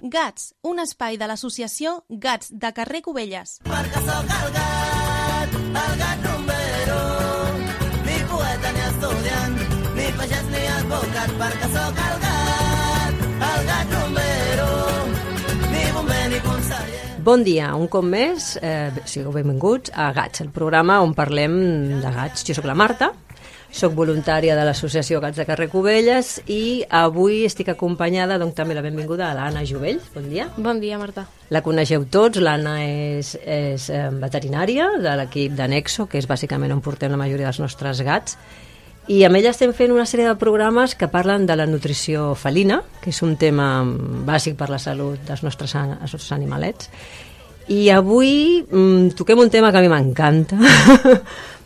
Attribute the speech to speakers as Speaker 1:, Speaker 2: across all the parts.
Speaker 1: Gats, un espai de l'associació Gats de carrer Cubelles.
Speaker 2: Perquè sóc el gat rumbero, ni poeta ni estudiant, ni pagès ni advocat, perquè sóc el gat rumbero, ni bomber ni conseller.
Speaker 3: Bon dia, un cop més, sigueu benvinguts a Gats, el programa on parlem de gats. Jo sóc la Marta, soc voluntària de l'associació Gats de carrer Cubelles i avui estic acompanyada, doncs també la benvinguda a l'Anna Jovell. Bon dia.
Speaker 4: Bon dia, Marta.
Speaker 3: La coneixeu tots, l'Anna és veterinària de l'equip de Nexo, que és bàsicament on portem la majoria dels nostres gats, i amb ella estem fent una sèrie de programes que parlen de la nutrició felina, que és un tema bàsic per la salut dels nostres animalets. I avui toquem un tema que a mi m'encanta,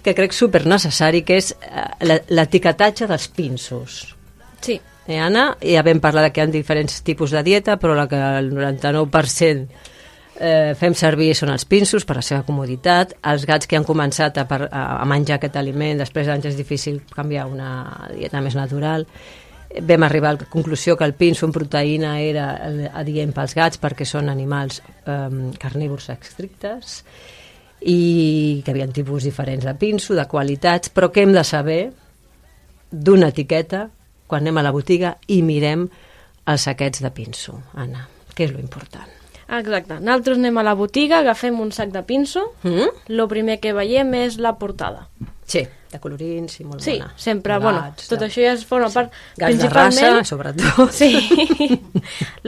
Speaker 3: que crec supernecessari, que és l'etiquetatge dels pinsos.
Speaker 4: Sí.
Speaker 3: Anna, ja vam parlar que hi ha diferents tipus de dieta, però la que el 99% fem servir són els pinsos per la seva comoditat. Els gats que han començat a menjar aquest aliment, després d'anys és difícil canviar una dieta més natural. Vam arribar a la conclusió que el pinso en proteïna era adient pels gats perquè són animals carnívors estrictes i que hi havia tipus diferents de pinso, de qualitats, però que hem de saber d'una etiqueta quan anem a la botiga i mirem els saquets de pinso. Anna, què és lo important?
Speaker 4: Exacte. Nosaltres anem a la botiga, agafem un sac de pinso, lo primer que veiem és la portada.
Speaker 3: Sí, de colorins i molt
Speaker 4: sí,
Speaker 3: bona.
Speaker 4: Sí, sempre, tot això ja es forma part...
Speaker 3: Gats de raça, sobretot.
Speaker 4: Sí,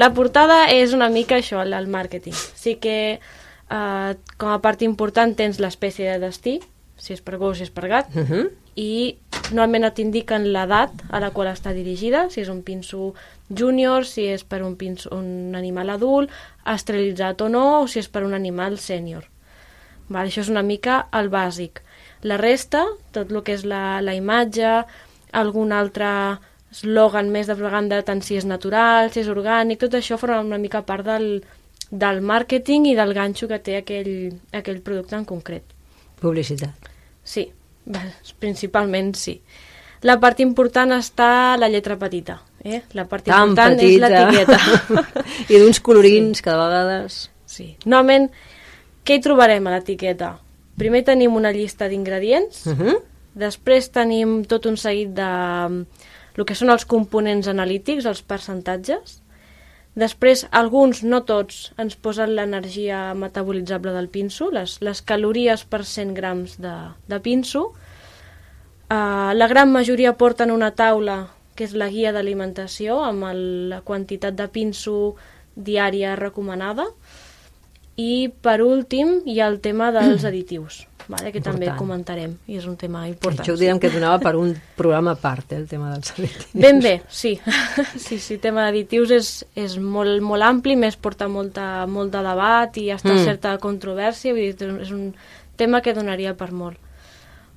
Speaker 4: la portada és una mica això, el màrqueting. Sí que com a part important tens l'espècie de destí, si és per gos, si és per gat, i normalment t'indiquen l'edat a la qual està dirigida, si és un pinso júnior, si és per un animal adult, esterilitzat o no, o si és per un animal sènior. Això és una mica el bàsic. La resta, tot el que és la imatge, algun altre eslògan més de propaganda, tant si és natural, si és orgànic, tot això forma una mica part del màrqueting i del ganxo que té aquell producte en concret.
Speaker 3: Publicitat.
Speaker 4: Sí, principalment sí. La part important està la lletra petita. La part important és l'etiqueta.
Speaker 3: I d'uns colorins, cada vegades...
Speaker 4: Sí. Normalment, què hi trobarem a l'etiqueta? Primer tenim una llista d'ingredients, després tenim tot un seguit de el que són els components analítics, els percentatges. Després, alguns, no tots, ens posen l'energia metabolitzable del pinso, les calories per 100 grams de pinso. La gran majoria porten una taula, que és la guia d'alimentació, amb la quantitat de pinso diària recomanada. I, per últim, hi ha el tema dels additius, que també comentarem, i és un tema important.
Speaker 3: Això ho direm que donava per un programa a part, el tema dels additius.
Speaker 4: Ben bé, sí. Sí, el tema d'additius és molt, molt ampli, més porta molt de debat i està certa controvèrsia, vull dir, és un tema que donaria per molt.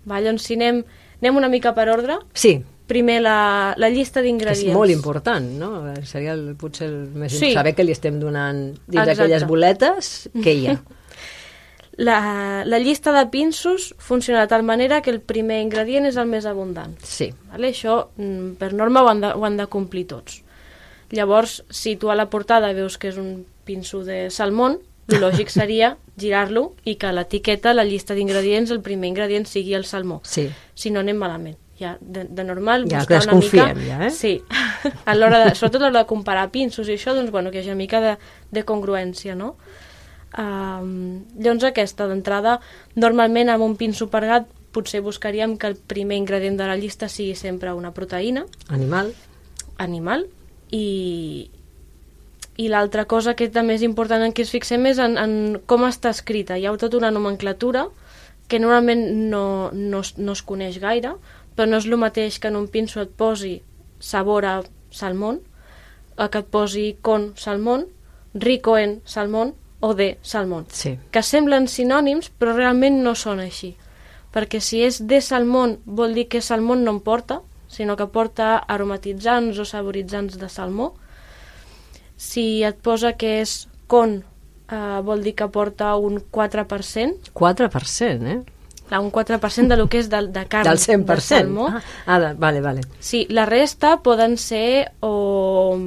Speaker 4: Doncs si anem una mica per ordre.
Speaker 3: Sí.
Speaker 4: Primer la llista d'ingredients.
Speaker 3: És molt important, no? Seria potser el més saber què li estem donant dins d'aquelles boletes, què hi ha.
Speaker 4: La llista de pinsos funciona de tal manera que el primer ingredient és el més abundant.
Speaker 3: Sí.
Speaker 4: Això, per norma, ho han de complir tots. Llavors, si tu a la portada veus que és un pinso de salmón, el lògic seria girar-lo i que a l'etiqueta, la llista d'ingredients, el primer ingredient sigui el salmó.
Speaker 3: Sí.
Speaker 4: Si no, anem malament. Ja, de normal,
Speaker 3: ja
Speaker 4: buscar una mica...
Speaker 3: ja,
Speaker 4: Sí, sobretot a l'hora de comparar pinsos i això, doncs, que hi hagi una mica de congruència, no? Llavors aquesta, d'entrada, normalment amb un pinso per gat potser buscaríem que el primer ingredient de la llista sigui sempre una proteïna. Animal. I l'altra cosa que també és important en què es fixem és en com està escrita. Hi ha tota una nomenclatura que normalment no es coneix gaire, però no és el mateix que en un pinso et posi sabor a salmón, que et posi con salmón, rico en salmón o de salmón.
Speaker 3: Sí.
Speaker 4: Que semblen sinònims, però realment no són així. Perquè si és de salmón, vol dir que salmón no en porta, sinó que porta aromatitzants o saboritzants de salmó. Si et posa que és con, vol dir que porta un 4%.
Speaker 3: 4%,
Speaker 4: Un 4% del que és de carn
Speaker 3: del 100%.
Speaker 4: De salmó.
Speaker 3: Vale.
Speaker 4: Sí, la resta poden ser o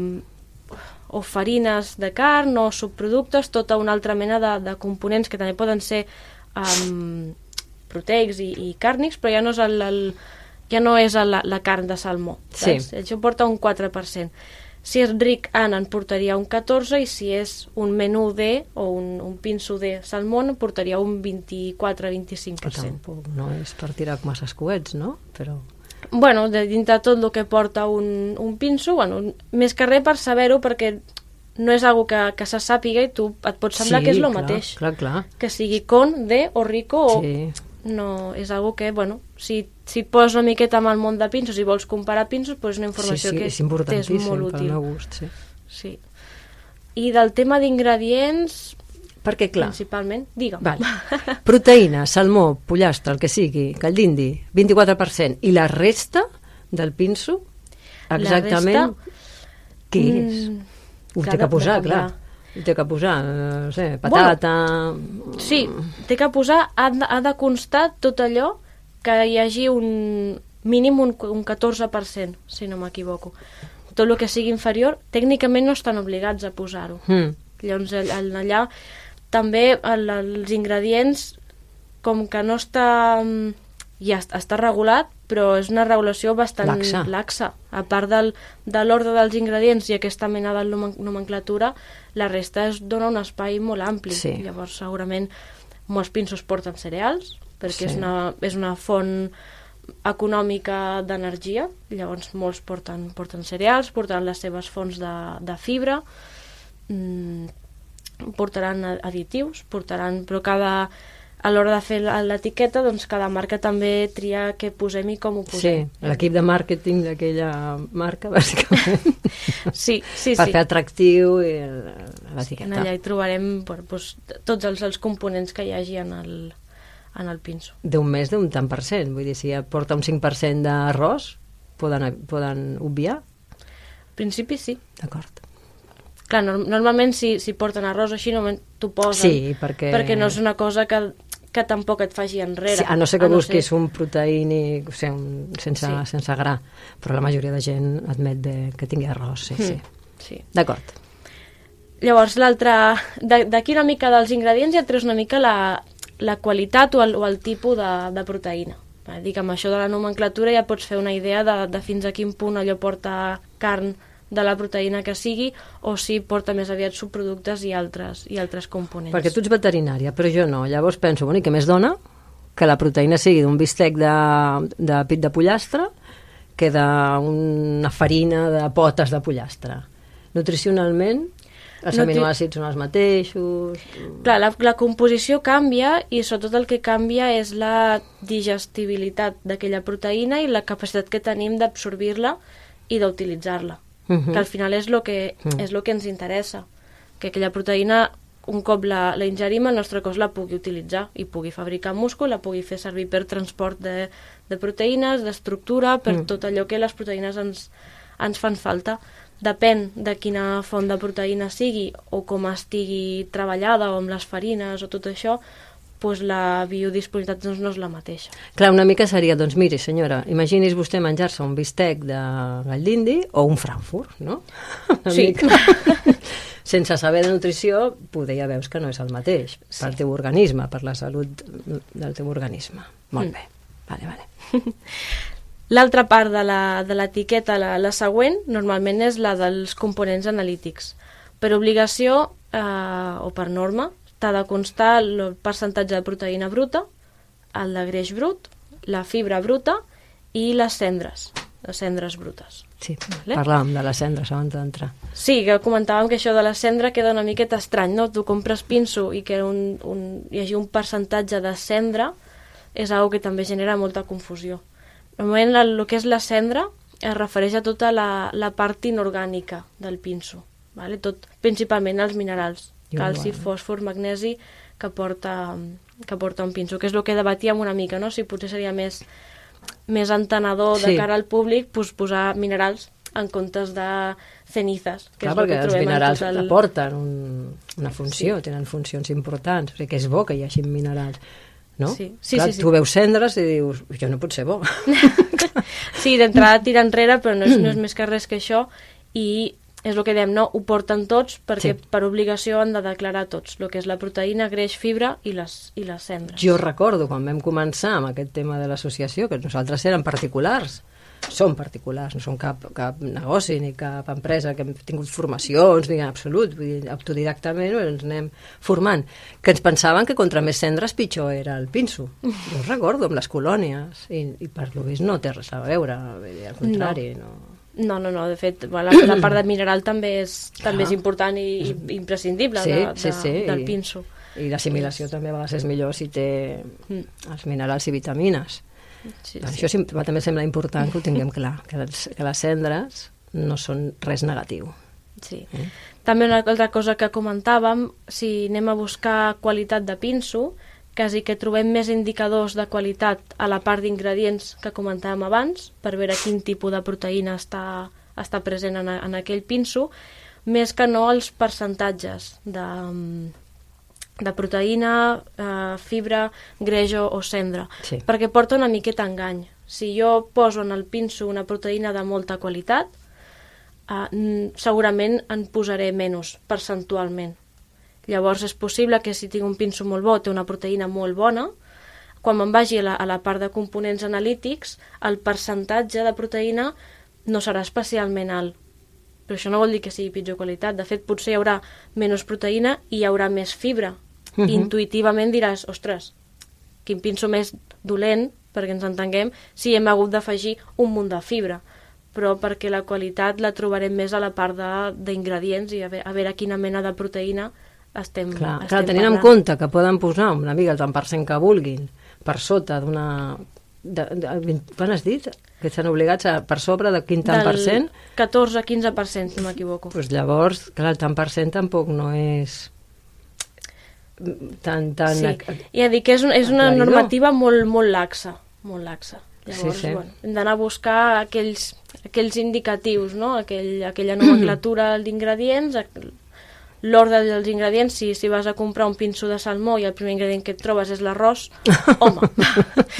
Speaker 4: o farines de carn o subproductes, tota una altra mena de components que també poden ser proteics i càrnics, però ja no és ja no és la carn de salmó.
Speaker 3: Sí.
Speaker 4: Això porta un 4%. Si és ric en portaria un 14%, i si és un menú D o un pinso de salmó portaria un 24-25%.
Speaker 3: Que tampoc no és per tirar massa coets, no? Però...
Speaker 4: Bueno, dintre tot el que porta un pinso, bueno, més que res per saber-ho, perquè no és algo que se sàpiga i tu et pot semblar que és el mateix.
Speaker 3: Clar.
Speaker 4: Que sigui con, D o rico o...
Speaker 3: Sí.
Speaker 4: No, és algo que, bueno, si poses una miqueta amb el món de pinsos i vols comparar pinsos, doncs és una informació que
Speaker 3: és importantíssim,
Speaker 4: és molt útil.
Speaker 3: pel meu gust,
Speaker 4: sí. I del tema d'ingredients,
Speaker 3: perquè, clar,
Speaker 4: principalment, digue'm.
Speaker 3: Vale. Proteïna, salmó, pollastre, el que sigui, call d'indi, 24%, i la resta del pinso, exactament, què és? Ho té que posar, clar. Ho té que posar, no sé, patata...
Speaker 4: Bueno, sí, té que posar, ha de constar tot allò que hi hagi un mínim un 14%, si no m'equivoco. Tot el que sigui inferior, tècnicament no estan obligats a posar-ho. Llavors, allà també els ingredients, com que no està... ja està regulat, però és una regulació bastant laxa. A part de l'ordre dels ingredients i aquesta mena de nomenclatura, la resta es dona un espai molt ampli.
Speaker 3: Sí.
Speaker 4: Llavors, segurament, molts pinsos porten cereals, perquè és una font econòmica d'energia. Llavors, molts porten cereals, portaran les seves fonts de fibra, portaran additius, però a l'hora de fer l'etiqueta, doncs cada marca també tria què posem i com ho posem.
Speaker 3: Sí, l'equip de màrqueting d'aquella marca, bàsicament.
Speaker 4: Sí.
Speaker 3: Per fer atractiu l'etiqueta.
Speaker 4: Allà hi trobarem tots els components que hi hagi en el pinso.
Speaker 3: D'un més d'un tant per cent, vull dir, si ja porta un 5% d'arròs, poden obviar?
Speaker 4: Al principi sí.
Speaker 3: D'acord.
Speaker 4: Clar, normalment si porten arròs així, t'ho posen.
Speaker 3: Sí, perquè
Speaker 4: no és una cosa que tampoc et faci enrere.
Speaker 3: Sí, a no ser que busquis un proteínic, o sigui, sense gra, però la majoria de gent admet que tingui arròs, sí. D'acord.
Speaker 4: Llavors, d'aquí una mica dels ingredients ja treus una mica la qualitat o el tipus de proteïna. Amb això de la nomenclatura ja pots fer una idea de fins a quin punt allò porta carn de la proteïna que sigui, o si porta més aviat subproductes i altres components.
Speaker 3: Perquè tu ets veterinària, però jo no. Llavors penso, i què més dona? Que la proteïna sigui d'un bistec de pit de pollastre que d'una farina de potes de pollastre. Nutricionalment, els aminoàcids són els mateixos...
Speaker 4: Clar, la composició canvia i sobretot el que canvia és la digestibilitat d'aquella proteïna i la capacitat que tenim d'absorbir-la i d'utilitzar-la. Que al final és el que ens interessa, que aquella proteïna, un cop la ingerim, el nostre cos la pugui utilitzar i pugui fabricar múscul, la pugui fer servir per transport de proteïnes, d'estructura, per tot allò que les proteïnes ens fan falta. Depèn de quina font de proteïna sigui o com estigui treballada o amb les farines o tot això, doncs la biodisponibilitat no és la mateixa.
Speaker 3: Clar, una mica seria, doncs miri senyora, imagini's vostè menjar-se un bistec de gall d'indi o un Frankfurt, no?
Speaker 4: Sí.
Speaker 3: Sense saber de nutrició, poder ja veus que no és el mateix pel teu organisme, per la salut del teu organisme. Molt bé, vale.
Speaker 4: L'altra part de l'etiqueta, la següent, normalment és la dels components analítics. Per obligació o per norma, t'ha de constar el percentatge de proteïna bruta, el de greix brut, la fibra bruta i les cendres brutes.
Speaker 3: Sí, parlàvem de les cendres abans d'entrar.
Speaker 4: Sí, que comentàvem que això de la cendra queda una miqueta estrany, no? Tu compres pinso i que hi hagi un percentatge de cendra és una que també genera molta confusió. Normalment el que és la cendra es refereix a tota la part inorgànica del pinso, tot, principalment els minerals, calci, fòsfor, magnesi, que porta un pinso, que és el que debatíem una mica, no? Si potser seria més entenedor de cara al públic posar minerals en comptes de cenizes.
Speaker 3: Clar, perquè els minerals aporten una funció, tenen funcions importants, o sigui que és bo que hi hagi minerals, no?
Speaker 4: Sí.
Speaker 3: Tu veus cendres i dius, això no pot ser bo.
Speaker 4: Sí, d'entrada tira enrere, però no és més que res que això, i és el que dèiem, no? Ho porten tots perquè
Speaker 3: Sí.
Speaker 4: per obligació han de declarar tots, el que és la proteïna, greix, fibra i les cendres.
Speaker 3: Jo recordo quan vam començar amb aquest tema de l'associació que nosaltres érem particulars, som particulars, no som cap negoci ni cap empresa que hem tingut formacions ni en absolut, vull dir, autodidactament ens anem formant, que ens pensaven que contra més cendres pitjor era el pinso. Jo ho recordo amb les colònies i per lo vist no té res a veure, vull dir, al contrari, no.
Speaker 4: No, de fet, la part de mineral també és important i imprescindible del pinso.
Speaker 3: I l'assimilació també a vegades és millor si té els minerals i vitamines.
Speaker 4: Sí.
Speaker 3: Això també sembla important que ho tinguem clar, que les cendres no són res negatiu.
Speaker 4: Sí. També una altra cosa que comentàvem, si anem a buscar qualitat de pinso, quasi que trobem més indicadors de qualitat a la part d'ingredients que comentàvem abans, per veure quin tipus de proteïna està present en aquell pinso, més que no els percentatges de proteïna, fibra, greix o cendra,
Speaker 3: Sí.
Speaker 4: perquè porta una miqueta engany. Si jo poso en el pinso una proteïna de molta qualitat, segurament en posaré menys percentualment. Llavors és possible que si tinc un pinso molt bo, té una proteïna molt bona, quan me'n vagi a la part de components analítics, el percentatge de proteïna no serà especialment alt. Però això no vol dir que sigui pitjor qualitat. De fet, potser hi haurà menys proteïna i hi haurà més fibra. Intuïtivament diràs, ostres, quin pinso més dolent, perquè ens entenguem, si hem hagut d'afegir un munt de fibra. Però perquè la qualitat la trobarem més a la part d'ingredients i a veure quina mena de proteïna estem
Speaker 3: Clar, tenint en compte que poden posar una mica el tant per cent que vulguin per sota d'una... Quan has dit? Que estan obligats per sobre de quin tant per cent?
Speaker 4: 14-15%, si no m'equivoco.
Speaker 3: Doncs llavors, clar, el tant per cent tampoc no és tan...
Speaker 4: Sí, ja dic que és una normativa molt laxa, molt laxa. Llavors,
Speaker 3: Sí.
Speaker 4: bueno, hem d'anar a buscar aquells indicatius, no? Aquella nomenclatura d'ingredients, l'ordre dels ingredients. Si vas a comprar un pinso de salmó i el primer ingredient que et trobes és l'arròs, home...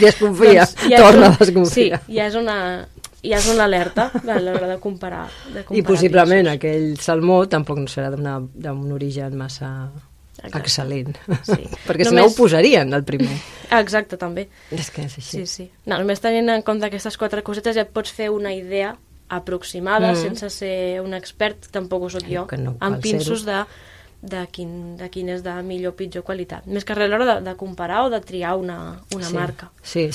Speaker 3: Desconfia, torna a desconfiar.
Speaker 4: Sí, ja és una alerta a l'hora de comparar
Speaker 3: I possiblement
Speaker 4: pinsos.
Speaker 3: aquell salmó tampoc no serà d'un origen massa excel·lent.
Speaker 4: Sí.
Speaker 3: Perquè si no ho posarien, el primer.
Speaker 4: Exacte, també.
Speaker 3: És que és així.
Speaker 4: Sí. No, només tenint en compte aquestes 4 cosetes ja et pots fer una idea aproximada, sense ser un expert, tampoc ho soc jo,
Speaker 3: que no cal
Speaker 4: amb pinsos de quin és de millor o pitjor qualitat. Més que res a l'hora de comparar o de triar una marca.
Speaker 3: Sí.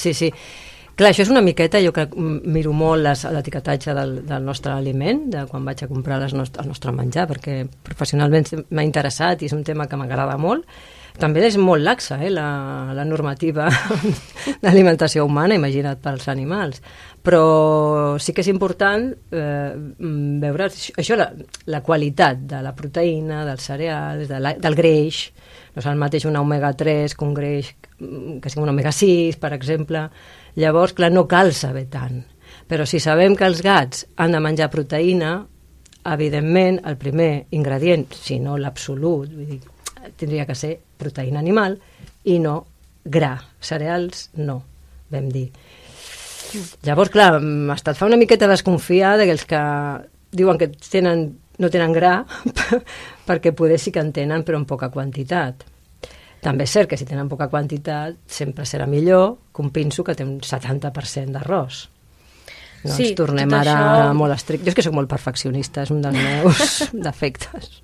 Speaker 3: Clar, això és una miqueta, jo que miro molt l'etiquetatge del nostre aliment, de quan vaig a comprar el nostre menjar, perquè professionalment m'ha interessat i és un tema que m'agrada molt. També és molt laxa, la normativa d'alimentació humana, imagina't pels animals. Però sí que és important veure això, la qualitat de la proteïna, dels cereals, del greix. No és el mateix un omega-3 que un greix que sigui un omega-6, per exemple. Llavors, clar, no cal saber tant. Però si sabem que els gats han de menjar proteïna, evidentment, el primer ingredient, si no l'absolut, vull dir, tindria que ser proteïna animal i no gra. Cereals, no, vam dir. Llavors, clar, hasta et fa una miqueta desconfiar d'aquells que diuen que no tenen gra perquè poder sí que en tenen, però en poca quantitat. També és cert que si tenen poca quantitat sempre serà millor que un pinso que té un 70% d'arròs. No
Speaker 4: Sí,
Speaker 3: ens tornem
Speaker 4: tot
Speaker 3: ara
Speaker 4: això-
Speaker 3: molt estrictes. Jo és que soc molt perfeccionista, és un dels meus defectes.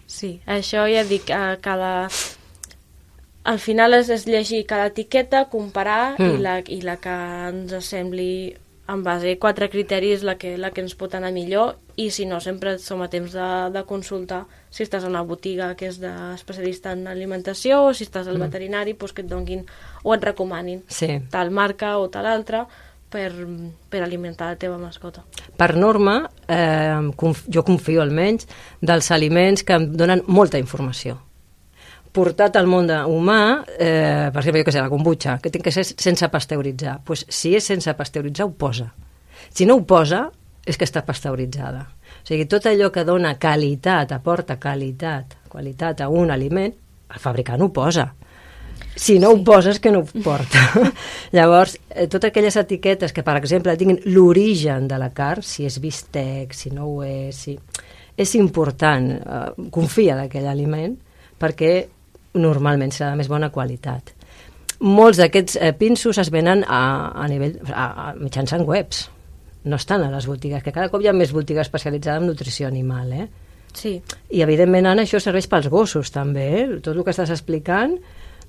Speaker 4: Sí, això ja dic, al final és llegir cada etiqueta, comparar i la que ens sembli en base a 4 criteris la que ens pot anar millor, i si no, sempre som a temps de consultar si estàs a una botiga que és d'especialista en alimentació o si estàs al veterinari, doncs que et donguin o et recomanin
Speaker 3: Sí.
Speaker 4: tal marca o tal altra per alimentar la teva mascota.
Speaker 3: Per norma, jo confio almenys dels aliments que em donen molta informació. Portat al món humà, per exemple, jo què sé, la kombucha, que té que ser sense pasteuritzar. Pues, si és sense pasteuritzar, ho posa. Si no ho posa, és que està pasteuritzada. O sigui, tot allò que dona qualitat, aporta qualitat a un aliment, el fabricant ho posa. Si no ho poses, que no ho porta. Llavors, totes aquelles etiquetes que, per exemple, tinguin l'origen de la carn, si és bistec, si no ho és, és important, confia d'aquell aliment, perquè normalment serà de més bona qualitat. Molts d'aquests pinsos es venen mitjançant webs, no estan a les botigues, que cada cop hi ha més botigues especialitzades en nutrició animal,
Speaker 4: Sí.
Speaker 3: I evidentment, Anna, això serveix pels gossos també, tot el que estàs explicant,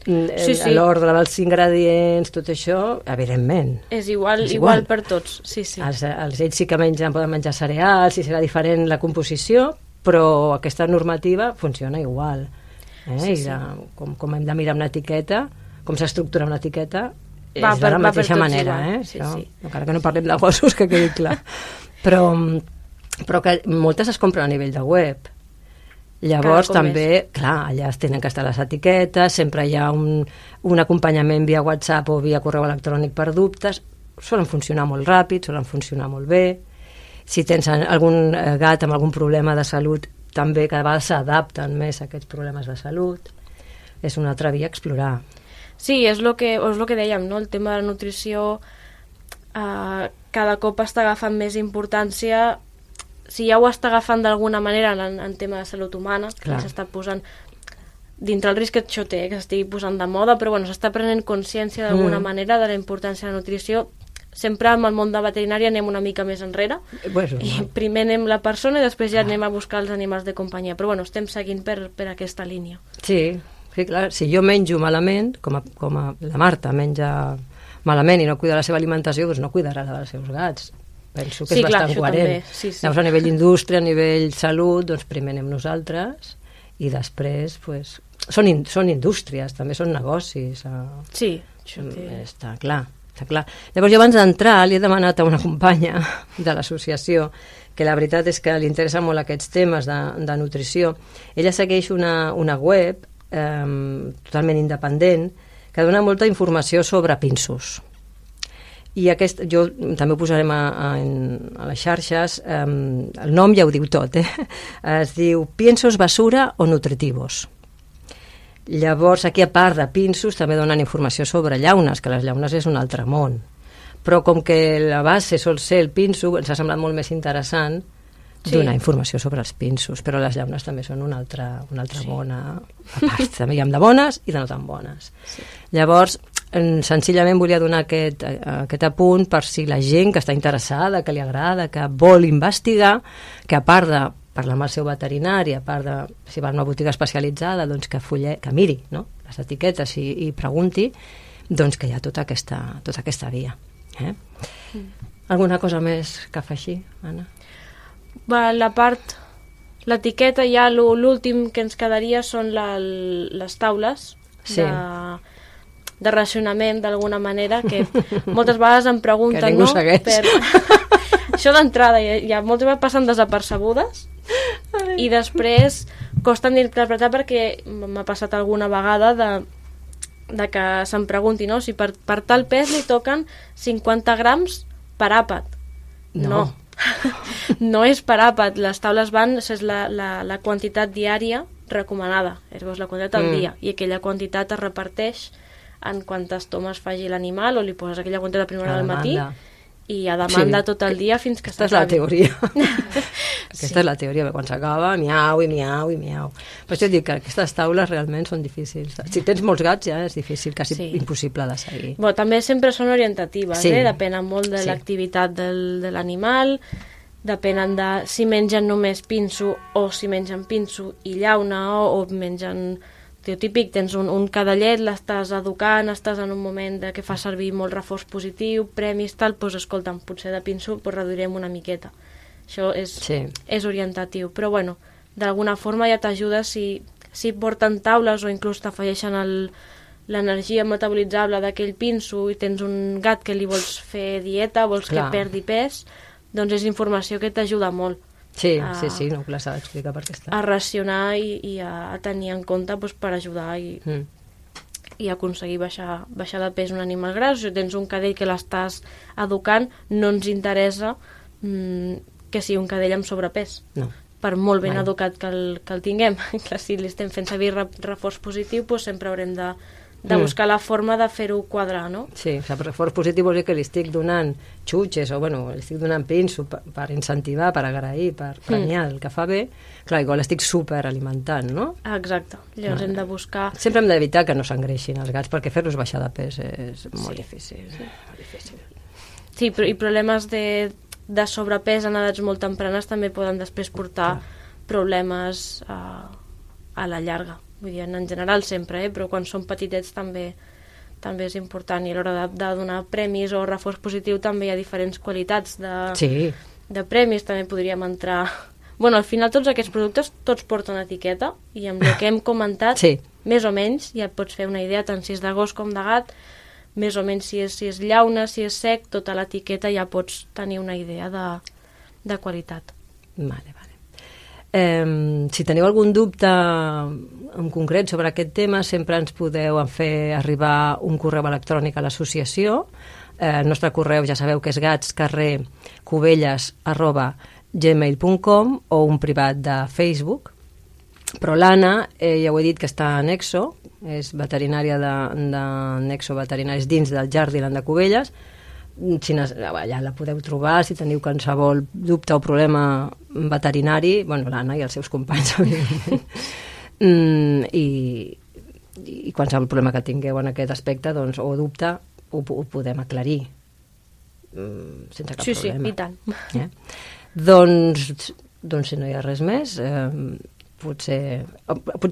Speaker 4: Sí.
Speaker 3: l'ordre dels ingredients, tot això, evidentment.
Speaker 4: És igual per tots, sí.
Speaker 3: Els ells sí que poden menjar cereals, i serà diferent la composició, però aquesta normativa funciona igual.
Speaker 4: Sí.
Speaker 3: Com hem de mirar una etiqueta, com s'estructura una etiqueta, és
Speaker 4: Va
Speaker 3: de la mateixa
Speaker 4: tots
Speaker 3: manera,
Speaker 4: igual.
Speaker 3: Sí.
Speaker 4: Sí.
Speaker 3: Encara que no parlem de gossos, que quedi clar. Però que moltes es compren a nivell de web. Llavors també, clar, allà tenen que estar les etiquetes, sempre hi ha un acompanyament via WhatsApp o via correu electrònic per dubtes, solen funcionar molt ràpid, solen funcionar molt bé. Si tens algun gat amb algun problema de salut, també cada vegada s'adapten més a aquests problemes de salut. És una altra via a explorar.
Speaker 4: Sí, és el que dèiem, no? El tema de la nutrició cada cop està agafant més importància. Si ja ho està agafant d'alguna manera en tema de salut humana, que s'està posant dintre el risc que això té, que s'estigui posant de moda, però bueno, s'està prenent consciència d'alguna manera de la importància de la nutrició. Sempre amb el món de veterinària anem una mica més enrere, i primer anem la persona i després ja anem a buscar els animals de companyia, però bueno, estem seguint per aquesta línia.
Speaker 3: Sí, clar, si jo menjo malament, com la Marta menja malament i no cuida la seva alimentació, doncs no cuidarà la dels seus gats. Penso que és bastant coherent. Llavors, a nivell indústria, a nivell salut, doncs primer anem nosaltres i després, doncs, són indústries, també són negocis.
Speaker 4: Sí, això té...
Speaker 3: Està clar. Llavors, jo abans d'entrar li he demanat a una companya de l'associació, que la veritat és que li interessa molt aquests temes de nutrició. Ella segueix una web totalment independent que dona molta informació sobre pinsos. I jo també ho posarem a les xarxes, el nom ja ho diu tot, es diu Piensos basura o nutritivos. Llavors, aquí a part de pinsos també donen informació sobre llaunes, que les llaunes és un altre món. Però com que la base sol ser el pinso, ens ha semblat molt més interessant donar informació sobre els pinsos, però les llaunes també són una altra bona part. També hi ha de bones i de no tan bones. Llavors, senzillament volia donar aquest apunt per si la gent que està interessada, que li agrada, que vol investigar, que a part de parlar amb el seu veterinari, a part de si va a una botiga especialitzada, doncs que miri, no?, les etiquetes i pregunti, doncs que hi ha tota aquesta via. Alguna cosa més que afegir, Anna?
Speaker 4: L'etiqueta, ja l'últim que ens quedaria són les taules de racionament, d'alguna manera, que moltes vegades em pregunten...
Speaker 3: Que ningú segueix.
Speaker 4: Això d'entrada, ja moltes vegades passen desapercebudes i després costen d'interpretar, perquè m'ha passat alguna vegada de que se'm pregunti, no?, si per tal pes li toquen 50 grams per àpat. No. No és per àpat. Les taules és la quantitat diària recomanada, és la quantitat al dia, i aquella quantitat es reparteix en quantes tomes faci l'animal, o li poses aquella quantitat a primera del matí i a demanda tot el dia fins que s'acabi.
Speaker 3: Aquesta és la teoria. Aquesta és la teoria, quan s'acaba, miau i miau i miau. Per això dic que aquestes taules realment són difícils. Si tens molts gats ja és difícil, quasi impossible de seguir.
Speaker 4: També sempre són orientatives, depenen molt de l'activitat de l'animal, depenen de si mengen només pinso o si mengen pinso i llauna, o mengen... típic, tens un cadallet, l'estàs educant, estàs en un moment que fa servir molt reforç positiu, premis, tal, doncs escolta'm, potser de pinso reduirem una miqueta. Això és orientatiu, però bueno, d'alguna forma ja t'ajuda si porten taules o inclús t'afegeixen l'energia metabolitzable d'aquell pinso i tens un gat que li vols fer dieta, vols que perdi pes, doncs és informació que t'ajuda molt.
Speaker 3: Sí, no, que s'ha d'explicar per què està.
Speaker 4: A racionar i a tenir en compte per ajudar i aconseguir baixar de pes un animal gras. Si tens un cadell que l'estàs educant, no ens interessa que sigui un cadell amb sobrepès.
Speaker 3: No.
Speaker 4: Per molt ben educat que el tinguem. Si li estem fent servir reforç positiu, doncs sempre haurem de buscar la forma de fer-ho quadrar, no?
Speaker 3: Sí, o sigui, reforç positiu vol dir que li estic donant xutxes o, bueno, li estic donant pinso per incentivar, per agrair, per premiar el que fa bé. Clar, igual estic superalimentant, no?
Speaker 4: Exacte. Llavors hem de buscar...
Speaker 3: Sempre hem d'evitar que no s'engreixin els gats, perquè fer-los baixar de pes és molt difícil. Molt difícil.
Speaker 4: Sí, i problemes de sobrepès en edats molt tempranes també poden després portar problemes a la llarga. Vull dir, en general sempre, però quan són petitets també és important, i a l'hora de donar premis o reforç positiu també hi ha diferents qualitats de premis, també podríem entrar... Bueno, al final tots aquests productes tots porten etiqueta, i amb el que hem comentat, més o menys ja et pots fer una idea, tant si és de gos com de gat, més o menys si és llauna, si és sec, tota l'etiqueta ja pots tenir una idea de qualitat.
Speaker 3: Vale. Si teniu algun dubte en concret sobre aquest tema, sempre ens podeu fer arribar un correu electrònic a l'associació. El nostre correu ja sabeu que és gatscarrer@gmail.com, o un privat de Facebook. Però l'Anna, ja ho he dit, que està a Nexo, és veterinària de Nexo Veterinaris dins del Jardiland de Cubelles. Allà la podeu trobar si teniu qualsevol dubte o problema veterinari, bueno, l'Anna i els seus companys, evidentment. I qualsevol problema que tingueu en aquest aspecte, doncs, o dubte, ho podem aclarir sense cap problema.
Speaker 4: Sí, i tant.
Speaker 3: Doncs si no hi ha res més, potser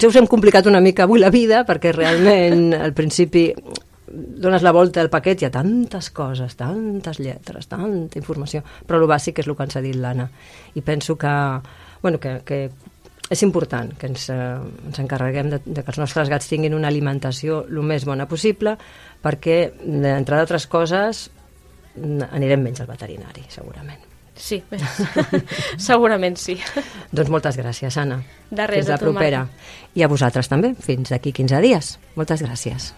Speaker 3: us hem complicat una mica avui la vida, perquè realment al principi dones la volta al paquet, hi ha tantes coses, tantes lletres, tanta informació, però el bàsic és el que ens ha dit l'Anna, i penso que és important que ens encarreguem de que els nostres gats tinguin una alimentació el més bona possible, perquè, entre d'altres coses, anirem menys al veterinari, segurament.
Speaker 4: Sí, segurament sí.
Speaker 3: Doncs moltes gràcies, Anna.
Speaker 4: De res,
Speaker 3: fins la propera. I a vosaltres també, fins d'aquí 15 dies. Moltes gràcies.